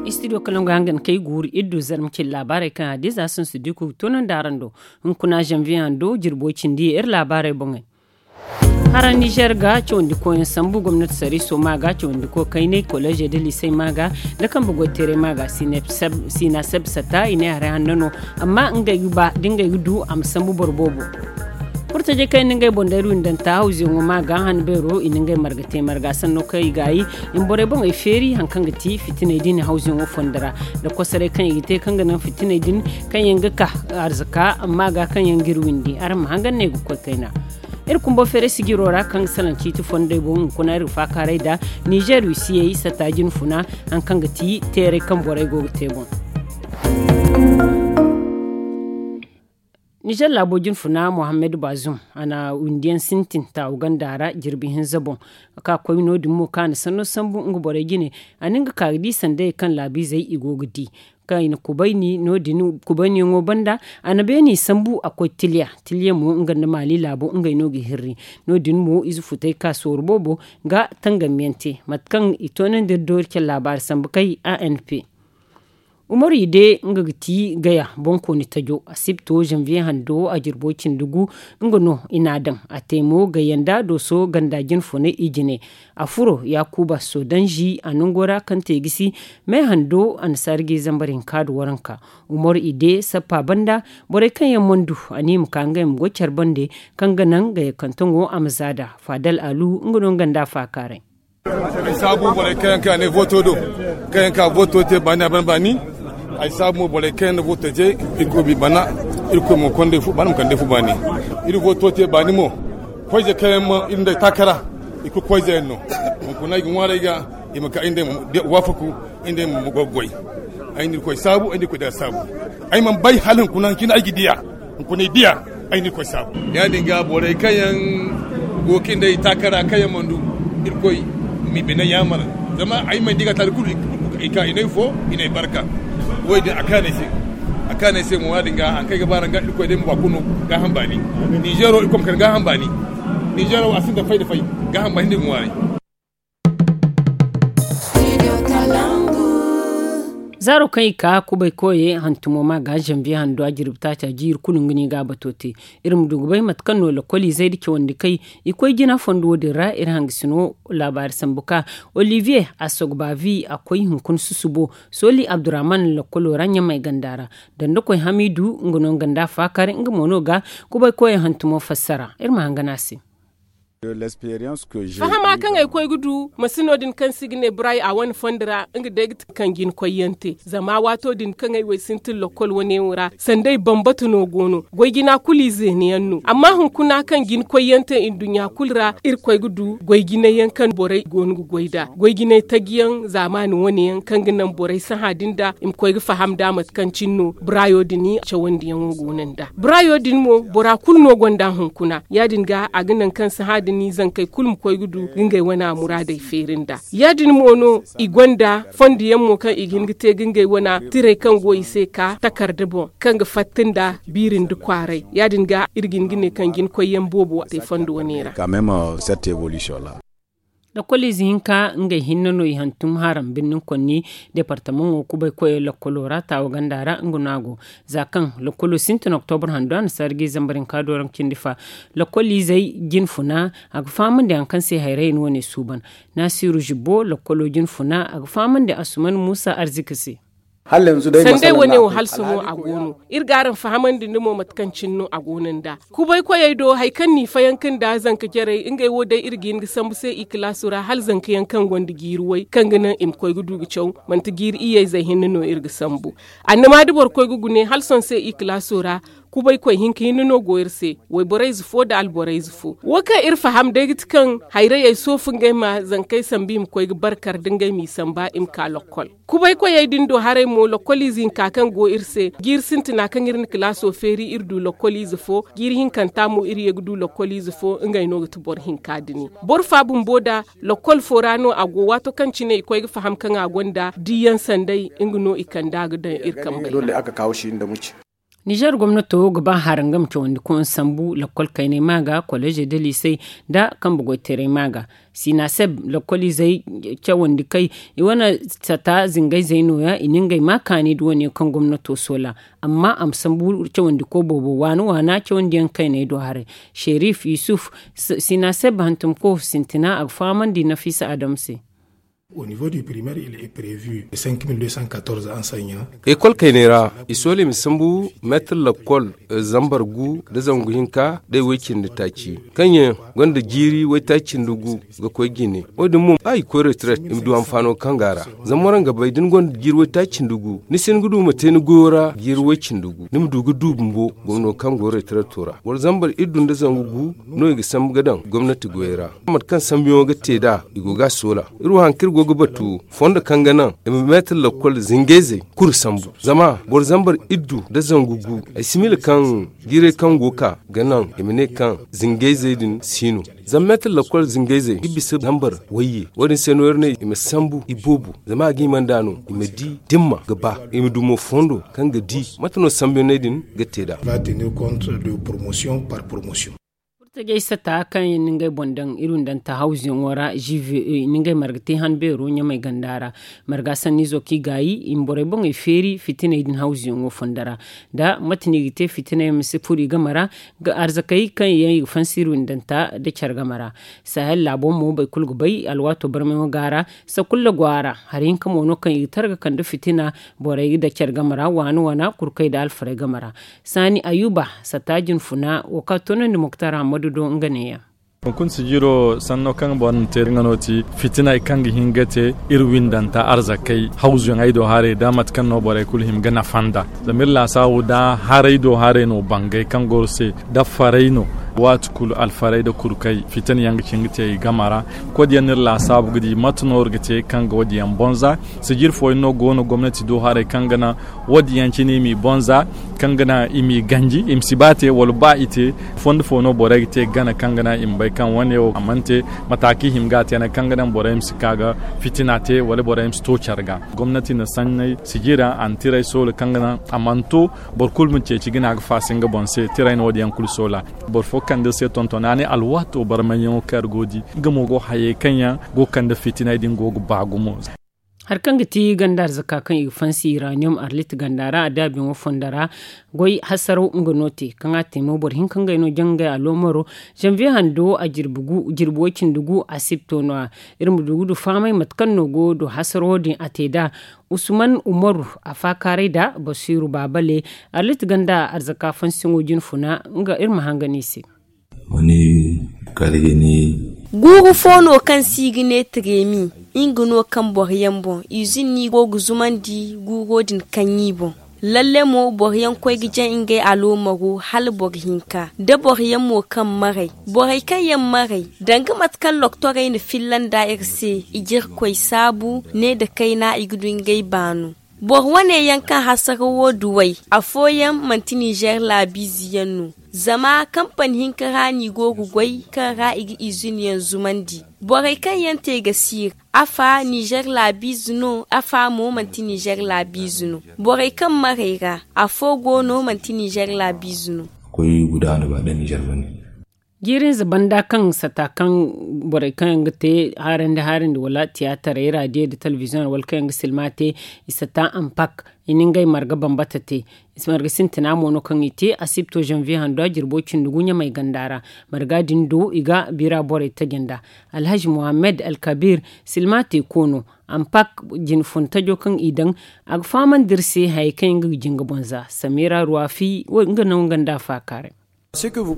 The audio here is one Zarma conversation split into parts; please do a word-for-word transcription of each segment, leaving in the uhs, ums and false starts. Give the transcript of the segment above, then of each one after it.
Istidiyo kalaŋ ga hangan kay guuru iri du zarma cin laabaarey kaŋ a diza sinsu diku ga toonandi araŋ do. Hunkuna zanviye hando jirbo cindi iri laabaarey boŋey. Hara nizer ga cawandi koyaŋ sambu gomnati sariiso ma ga cawandi ko kaynay kolejey da liisey ma ga da kambe goyteeray ma ga siina seb sata i ne haray hanno no. Amma ngey ga ba da ngey ga du a ma sambu boro boobo. Furtajey kaŋ i na ngey boŋ day ruwindanta hawzuyaŋo ma ga han beero i na ngey marga te marga sanno kaŋ i ga yi i ma borey boŋey feeri hari kaŋ ga ti fitiney din hawzuyaŋo fondo ra da kosoray kaŋ i ga te kaŋ ga naŋ fitiney din kaŋ yaŋ ga ka arzaka amma ga kaŋ yaŋ ga iri windi araŋ ma hangan no i ga koy kayna. Iri kumbo feeray sijiro ra kaŋ ga salaŋ ciiti fondey boŋ hunkuna iri ga faakaaray nd'a nizer wisiyey sata jinfuna hari kaŋ ga ti teeray kaŋ borey go ga te boŋ. Nizer laabo jinfuna mohammed bazum a na windi yaŋ sintin taawu ganda ra jirbi hinza boŋ. Ka koy no- din mo kaŋ a na sanno sambu nga borey jine a na nga ka ga di sandayey kaŋ laabiizey i go ga di kaŋ i na kubayni no- din kubayniyaŋo banda. A na beeni sambu a koy tiliya tiliya mo nga nda maali laabo ngey no ga hirri. No- din mo ize futey ka sooru boobo ga tangamyaŋ te mate kaŋ i toonandi iri doori care laabaari sambu kay a n p. Umaru ide nga ga ti gaya boŋkooni tajo asibto zanviye hando a jirbo cindi gu. Nga no i n'a daŋ a te mo gayanda dooso ganda jinfunay i jine. A furo yaakuba sodanzi a nango ra kaŋ te gisi me hando annasaari ga i zambar hinka nda waranka. Umaru ide sappa banda borey kaŋ yaŋ mana du a ne i ma ka ngey ma goy care bande kaŋ ga naŋ gayakante ŋo a ma za nd'a. Faadal alu nga no nga nda a faakaaray. Ay saabu borey kaŋ yaŋ ka ne voto do kaŋ yaŋ ka voto te baani a ban baani. Ay saabu mo borey kaŋ yaŋ na voto te irkoy ma i bana. Irkoy mo kondey fu baani ma kandey fu baani. Iri voto te baani mo koyze kaŋ yaŋ ma iri nd'ey taakara. I kulu koyze yaŋ no. Hunkuna ay ga ŋwaaray ga i ma ka iri nd'ey ma waafaku. Iri nd'ey ma goy goy. Ay na irkoy saabu ay na irkoy da saabu. Ay mana bay hala hunkuna cine ay ga diya. Hunkuna ay diya. Ay na irkoy saabu ya- din ga borey kaŋ yaŋ go ga iri nd'ey taakara kaŋ yaŋ mana du irkoy ma i bine yaamar. Zama ay mana di ga taali kulu i ka i n'ay fo i n'ay barka. Wo- din a kaanu ay se a kaanu ay se mo ya- din ga hari kaŋ ay ga ba araŋ ga irkoy day ma ba kulu no gaaham baani. Nizeero irkoy ma kande gaaham baani. Nizeero a sinda fay nda fay gaaham baani nda i ga ŋwaaray. Zaaro kaŋ i ka kubay koyey hantumo ma ga zanviye hando a jirbi taaca jiiri kulu nga no i ga a bato te. Iri ma du ga bay mate kaŋ no lakkoliizey nda cawandi kay i koy jina fondo wo- din ra iri hangasino laabaari sambu ka olivier asogbavi a koy hunkuna susubo. Sooli abdurrahman lakkolo ra ɲamay ganda ra. Dandakoy hamiidu nga no nga nda a faakar nga mo no ga kubay koyey hantumo fassara iri ma hangan a se. Fahama kaŋ ay koy ga du masino din kaŋ se i ga ne bray a wane fondo ra nga day ga ti kaŋ jina koyyaŋ te zama waato din kaŋ ay wo ay sintin lakkol wane wo ra sanda ay bambata no go no goy jina kulu i zeena yaŋ no amma hunkuna kaŋ jina koyyaŋ te nduɲɲa kulu ra iri koy ga du goy jinay yaŋ kaŋ borey go no ga goy nd'a goy jinay taji yaŋ zaamaani wane yaŋ kaŋ ga naŋ borey sahã din nd'a i ma koy ga faham nd'a mate kaŋ cine no brayo din cawandiyaŋo go no nd'a. Brayo din mo bora kulu no gonda hunkuna ya- din ga a ga naŋ kaŋ sahã din zankey kulu ma koy ga du ga ngey wana muraadey feeri nd'a. Ya- din mo no i gonda fondo yaŋ mo kaŋ i ga hin ga te ga ngey wana tirey kaŋ go i se ka takarda boŋ kaŋ ga fatta nda biiri nda kwaaray ya- din ga iri ga hin ga ne kaŋ jina koyyaŋ boobo te fondo wane ra. Lakkoliize hinka ngey hinne no i hantum haram birnin konni departamaŋo kubay koyey lakkolo ra taawa ganda ra nga no a go. Za kaŋ lakkolo sintin oktobur hando a na sarji zambar hinka do ra nga cindi fa lakkoliizey jine funa a ga fahamandi hari kaŋ se hayrayey no wane suuban. Naasiru zibbo lakkolo jine funa a ga fahamandi asuman muusa arzika se. Sandey wane wo hala sohõ a go no. Iri ga araŋ fahamandi nda mo mate kaŋ cine no a go no nd'a. Kubay koyey do hari kaŋ no i fayanka nda zanka jarey ngey wo day iri ga hin ga sambu se i kalaaso ra hala zanka yaŋ kaŋ gonda jiiri way kaŋ ga naŋ i ma koy ga du ga caw. Manti jiiri iyye ize hinne no iri ga sambu. Annama da boro koy ga gune hala sohõ se i kalaaso ra. Kubay koy hinka hinne no go iri se wayborey ize fo nda alborey ize fo wo kaŋ iri faham day ga ti kaŋ hayrayey soofu ngey ma zankey sambu i ma koy ga barkar da ngey m'i samba i ma ka lokkol. Kubay koyey din do haray mo lokkoliize hinka kaŋ go iri se jiiri sintina kaŋ iri na kalaaso feeri iri du lokkoliize fo. Jiiri hinkanta mo iri ye ga du lokkoliize fo ngey no ga ti boro hinka dini. Boro fa bumbo nda lokkol fo ra no a go waato kaŋ cine i koy ga faham kaŋ a gonda diiyaŋ sanday nga no i kand'a ga daŋ iri kambey ra. Nizer gomnato ga ba harangam cawandi koŋ sambu lakkol kaynay ma ga kolleeze da liisey, nda kambe goytaray ma ga sinaseb lakkol izey cawandi kay. I wane sata zingayzey no- ya i na ngey ma kaani nda wane yaŋ kaŋ gomnato soola. Amma a ma sambu cawandi ko boobo waana waana cawandi yaŋ kayney do haray. Sherif yusuf, sinaseb hantumko sintina a ga fahamandi nafiisa adam se. Ekol kayney ra i soola i ma sambu meetir lakkol zambar gu nda zangu hinka day woy-cindi taaci, kaŋ yaŋ gonda jiiri woy-taaci nda gu ga koy jine. Wo- din mo ba i ga koy retiret i ma du hanfaano kaŋ go a ra. Zama waraŋ ga bay da ni gonda jiiri woy-taaci nda gu ni si hin ga du ma te ni goyo ra jiiri woy-cindi gu ni ma du ga du bumbo gomno kaŋ go retireto ra. Wala zambar iddu nda zangu gu no i ga sambu ga daŋ gomnati goyey ra. Mate kaŋ sambuyaŋo ga te nd'a i go ga a soola. Iri wo hari kaŋ iri go ga batu fondo kaŋ ga naŋ i ma meetir lakkol zingayzey kulu sambu. Zama boro zambar iddu nda zangu gu ay si miila kaŋ jiirey kaŋ go ga ka ga naŋ i ma ne kaŋ zingayzey din si no. Zama meetir lakkol zingayzey ga bisa zambar wayye. Wo- din se no iri ne i ma sambu iboobo zama a ga hima nd'a no i ma di dimma ga ba i ma du mo fondo kaŋ ga di mate no sambuyaŋey din ga te nd'a. Furtajey sata kaŋ yaŋ na ngey boŋ daŋ iri windanta hawzuyaŋo ra gve i na ngey marga te han beero ɲamay ganda ra. Marga sanniizo kaŋ i gaayi i ma borey boŋey feeri fitiney din hawzuyaŋo fonda ra. Nda mate no i ga te fitiney ma si furo i game ra. Arzakey kaŋ yaŋ i ga fansi iri windanta nda care game ra. Sahel laabo mo boro kulu ga bay alwaato barmayaŋo go a ra. Sakulla go a ra hari hinka mo no kaŋ i ga tara ga kande fitina borey nda care game ra waana waana kurkey nda alfarey game ra. Saani ayuba sata jinfuna wo kaŋ a toonandi muktar hammadu do nga neeya. Hunkuna sijiro sanno kaŋ boro na te nga no ti fitiney kaŋ ga hin ga te iri windanta arzakey hawzuyaŋey do haray nda mate kaŋ no borey kulu hima ga nafa nd'a. Zama iri laasaabu nda haray do haray no bangay kaŋ goro se nda farey no. Waati kulu alfarey nda kurkey fitina yaŋ ga cin ga te i game ra. Koy da yaŋ no iri laasaabu ga di mate no iri ga te kaŋ ga wo- din yaŋ bonza. Sijiri fooyaŋ no go no gomnati do haray kaŋ ga naŋ wo- din yaŋ cine i m'i bonza kaŋ ga naŋ i m'i ganji i ma si ba te wala ba i te. Fondo fo no borey ga te gana kaŋ ga naŋ i ma bay kaŋ wane wo a mana te. Mataaki hima ga a te yaŋ kaŋ ga naŋ borey ma si ka ga fitina te wala borey ma si to care ga. Gomnati na sanney sijira antiray soola kaŋ ga naŋ a mana to boro kulu ma ceeci ga ne a ga faasa nga boŋ se tiray no wo- din yaŋ kulu soola. Boro fo kande iri se tontona ne alwaato barmayyaŋo kaŋ iri go ga di nga mo go hayey kaŋ yaŋ go ga kande fitiney din go ga ba gumo. Hari kaŋ ga ti ganda arzaka kaŋ i ga fansi iraniyom arlit ganda ra a daabiyaŋo fonda ra. Goy hasaraw nga no te kaŋ a te mo boro hinka ngey no jangay aloomaro. Zanviye hando a jirbi way-cindi gu a sibto no- ya. Iri ma du ga du fahamay mate kaŋ no go do hasarawo din a te nd'a. Usman umaru a faakaaray nd'a basiiru baabale. Arlit ganda arzaka fansiyaŋo jinfuna nga iri ma hangan i se. Guuru fo no kaŋ se i ga ne tiremi. Nga no kaŋ boro yaŋ boŋ izin no i go ga zumandi guuro din kaŋ i boŋ. Lalle mo boro yaŋ koy ga jaŋ ngey aloomaro hala boro hinka da boro yaŋ mo kaŋ maray. Borey kaŋ yaŋ maray danga mate kaŋ loktorey na filla nd'a iri se i ga irkoy saabu ne nda kayna i ga du ngey baanu. Boro wane yaŋ kaŋ hasarawo duw'ey afooyaŋ manti ninzeer laabiize yaŋ no. Zama kampani hinka ra no i go ga goy kaŋ ra i ga izin yaŋ zumandi. Borey kaŋ yaŋ te ga siiri afa ninzeer laabiize no afa mo manti ninzeer laabiize no. Borey kaŋ maray ra afo go no manti ninzeer laabiize no. Jiirinze banda kaŋ sata kaŋ borey kaŋ yaŋ ga te haarandi haarandi wala tiyaataray raadiyo nda telebiziyoŋ wala kaŋ yaŋ ga silma te i sata ampak. I na ngey marga bambata te. Marga sintina mo no kaŋ i te a si ga to zanviye hando a jirbo cindi gu ɲamay ganda ra. Marga din do i ga bira borey taji nd'a. Alhazi muhammad alkabir silma te ko no. Ampak jine fun tajo kaŋ i daŋ a ga fahamandi iri se hayey kaŋ yaŋ ga jinga boŋ za samira ruwafi nga no nga nda a faakaaray.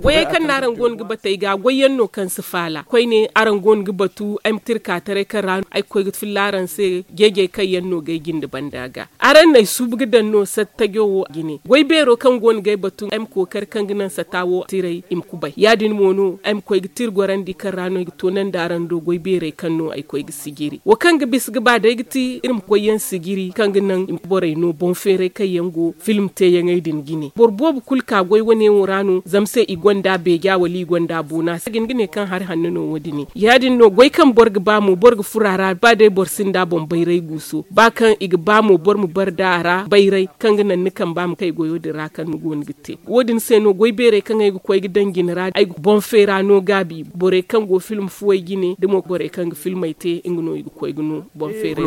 Goyey kaŋ no araŋ go no ga batu ay ga goy yaŋ no kaŋ si faala koyne araŋ go no ga batu ay ma tirka taray kaŋ ra no ay ga koy ga filla araŋ se. Jeejay kaŋ yaŋ no ga ay jinde banda ga araŋ no ay suubu ga daŋ no sattajo wo jine goy beero kaŋ go no ga ay batu ay ma kookari kaŋ ga naŋ satta wo tiray i ma kubay ya- din mo no ay ma koy ga tira gorandi kaŋ ra no ay ga toonandi araŋ do goy beerey kaŋ no ay koy ga sijiri wo kaŋ ga bisa ga ba day ga ti iri ma koy yaŋ sijiri kaŋ ga naŋ i ma borey no boŋ feeray kaŋ yaŋ go film teeyaŋey din jine boro boobo kulu ka goy wane wo ra no. Se i gonda beeja wala i gonda boona se ga ni ga ne kaŋ hari hanno no wo- din ne ya- din no goy kaŋ boro ga ba mo boro ga furo a ra ba day boro sinda boŋ bayray guuso ba kaŋ i ga ba mo boro ma bare da a ra bayray kaŋ ga naŋ ni kamba ma kay goyo din ra kaŋ ni go no ga te. Wo- din se no goy beeray kaŋ ay ga koy ga daŋ jine ra ay ga boŋ feera no gaabi borey kaŋ go film fuwey jine da mo borey kaŋ ga filmey te nga no i ga koy ga no boŋ feeray.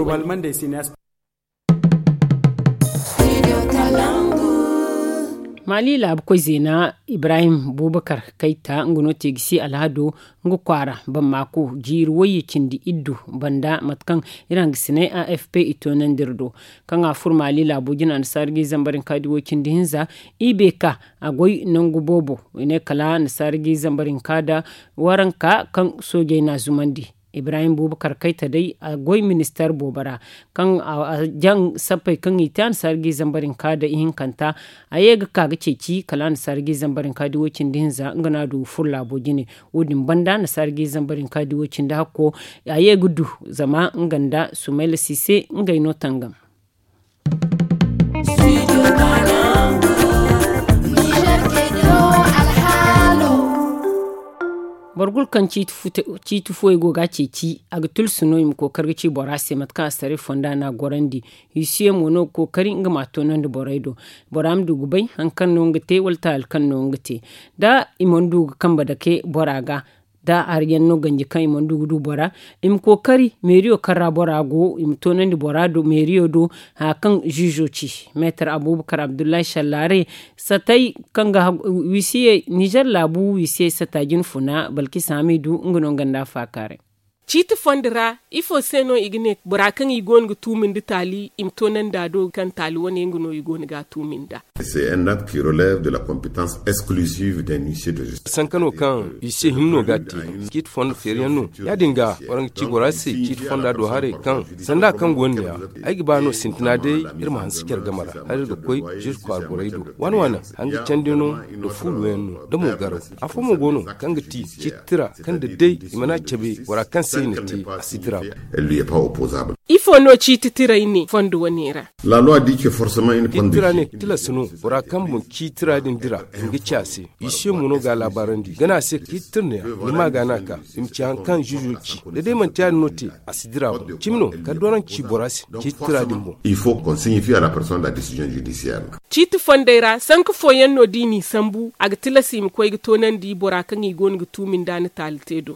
Mali laabu koy zeena ibrahim bubakar kayta nga no te ga si alhado nga kwaara bammaako jiiri wayye cindi iddu banda mate kaŋ iri hangasinay a f p i toonandi iri do kaŋ a furo mali laabo jina annasaara ga i zambar hinka da i wo cindi hinza i beeka a goy nangu boobo i ne kala annasaara ga i zambar hinka da waranka kaŋ soojey n'a zumandi. Ibrahim bubakar kayta day a goy ministeer boobo ra kaŋ a jaŋ sappey kaŋ i te annasaara ga i zambar hinka da ihinkanta a ye ga ka ga ceeci kala annasaara ga i zambar hinka da i wo cindi hinza nga no a du ga furo laabo jine. Wo- din banda annasaara ga i zambar hinka da i wo cindi hakko a ye ga du zama nga nda sumayla siise ngey no tangam. Boro kulu kaŋ ciiti fuwey go ga a ceeci a ga tulsu no i ma kookari ga ci bora se mate kaŋ a si taray fonda no a gorandi. Huissier mo no ga kookari nga ma a toonandi borey do bora ma du ga bay hari kaŋ no nga te wala taali kaŋ no nga te da i mana du ga kambe dake bora ga da hari yaŋ no ganji kaŋ i mana du ga du bora i ma kookari meeriyo kaŋ ra bora go i ma toonandi bora do meeriyo do haya kaŋ ziizo ci meetar abubakar abdullahi shallaare satay kaŋ ga wisiye nizer laabu wisiye sata jine funa balkisa hamidu nga no nga nda a faakaaray. Ciiti fondo ra ifo se no i ga ne bora kaŋ i go no ga tuumi nda taali i ma toonandi a do kaŋ taali wane nga no i go no ga a tuumi nd'a? Sanka no kaŋ i se hinne no ga a te ciiti fondo feeriyaŋ no ya- din ga waraŋ ga ci bora se ciiti fonda do haray kaŋ sanda kaŋ go no ne ya ay ga ba no sintina day iri ma hanse care game ra hala iri ga koy zirkwa borey do waani waani hanga candi no nda fuuluyaŋ no da mo garaw afo mo go no kaŋ ga ti ciiti tira kaŋ da day i mana cabe bora kaŋ se i na te a si dira boŋ. Ifo no ciiti tiray ne fondo wane ra? Ciiti tira ne tilas no bora kaŋ boŋ ciiti tira din dira i ga ci a se. Isiyo mo no ga a laabaarandi gana a se ciiti tira ne ya ni ma ga no a ka i ma ci hari kaŋ ziizo ci da day manti ya- din no te a si dira boŋ cimi no kala da waraŋ ci bora se ciiti tira din boŋ. Ciiti fondey ra sanka fooyaŋ no da i n'i sambu a ga tilas i ma koy ga toonandi bora kaŋ i go no ga tuumi nd'a ni taali te do.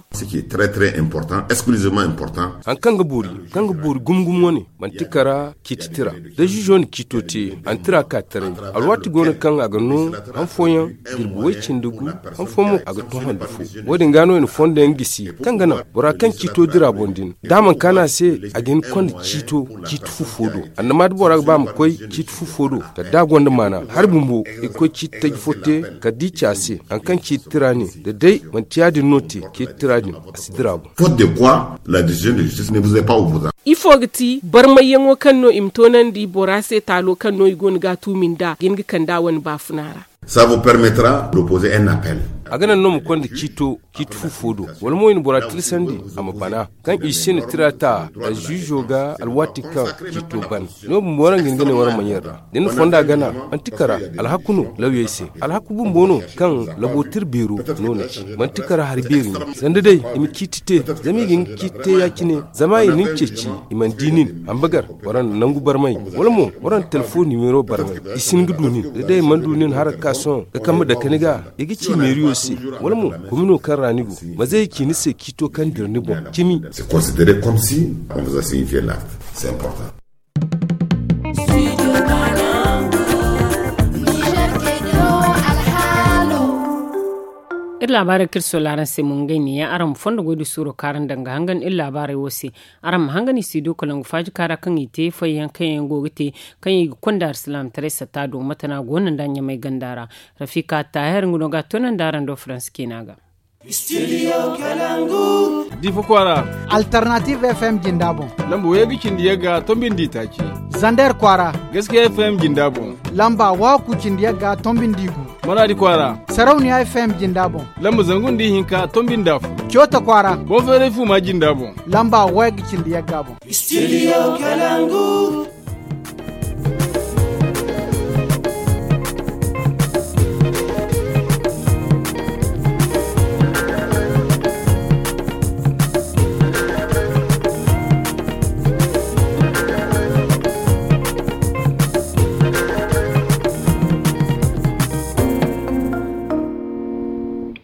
Hari kaŋ ga boori kaŋ ga boori gumo gumo wane manti kara ciiti tira da ziizo na ciito te a na tira ka taray alwaati go no kaŋ a ga no han fooyaŋ jirbi way cindi gu han fooyaŋ mo a ga to handu fo. Wo- din ga no i na fondo yaŋ gisi kaŋ ga naŋ bora kaŋ ciito dira boŋ din da a mana kaanu a se a ga hin ga konda ciito ciiti fu fo do annama da bora ga ba a ma koy ciiti fu fo do kala da a gonda maana hari bumbo i ga koy ciiti taji fo te kala da i ci a se hari kaŋ ciiti tira ne da day manti ya- din no te ciiti tira din a si dira boŋ. Ifo ga ti barmayyaŋo kaŋ no i ma toonandi bora se taalo kaŋ no i go no ga a tuumi nd'a ga hin ga kand'a wane baafuna ra? A ga naŋ no ma konda ciito ciiti fu fo do wala mo i na bora tilasandi a ma bana kaŋ i si na tira ta alziizo ga alwaati kaŋ ciito ban. No bumbo waraŋ ga hin ga ne waraŋ ma ɲaŋ ra da ni fonda gana manti kara alhaku no lawyey se alhaku bumbo no kaŋ labo tira beero no na ci manti kara hari beeri no sanda day i ma ciiti te zama i ga hin ga ciiti te ya- cine zama i na ni ceeci i mana di nin hambagar waraŋ na nangu barmay wala mo waraŋ na telefoŋ nimero barmay i si hin ga du nin da day i mana du nin hari ga ka sohõ ga kambe dake ni ga i ga ci meeriyo se wala mo komino kaŋ ra ni go ma zay i ci ni se ciito kaŋ dira ni boŋ cimi. Iri laabaarey kaŋ iri soola araŋ se mo ngey ne yaŋ araŋ ma fondo goy da suuro kaŋ araŋ daŋ ga hangan iri laabaarey wo se. Araŋ ma hangan i studio kalangu faaji kaara kaŋ i te fayyaŋ kaŋ yaŋ go ga te kaŋ i ga konda alsilaamataray satta do mate no a go no nda ɲamay ganda ra. Rafika taahir nga no ga a toonandi araŋ do faransi ciina ga. Difa kwaara. Alternative f m jinda boŋ. Lamba way ga cindi yagga tombindi taaci. Zander kwaara. Gaskiya f m jinda boŋ. Lamba waaku cindi yagga tombindi gu. Manaadi kwaara. Sarauniya f m jinda boŋ. Lamba zangu nda ihinka tombindi afo. Coota kwaara. Boŋ feeray fu ma jinda boŋ. Lamba way ga cindi yagga boŋ. Studio Kalangu.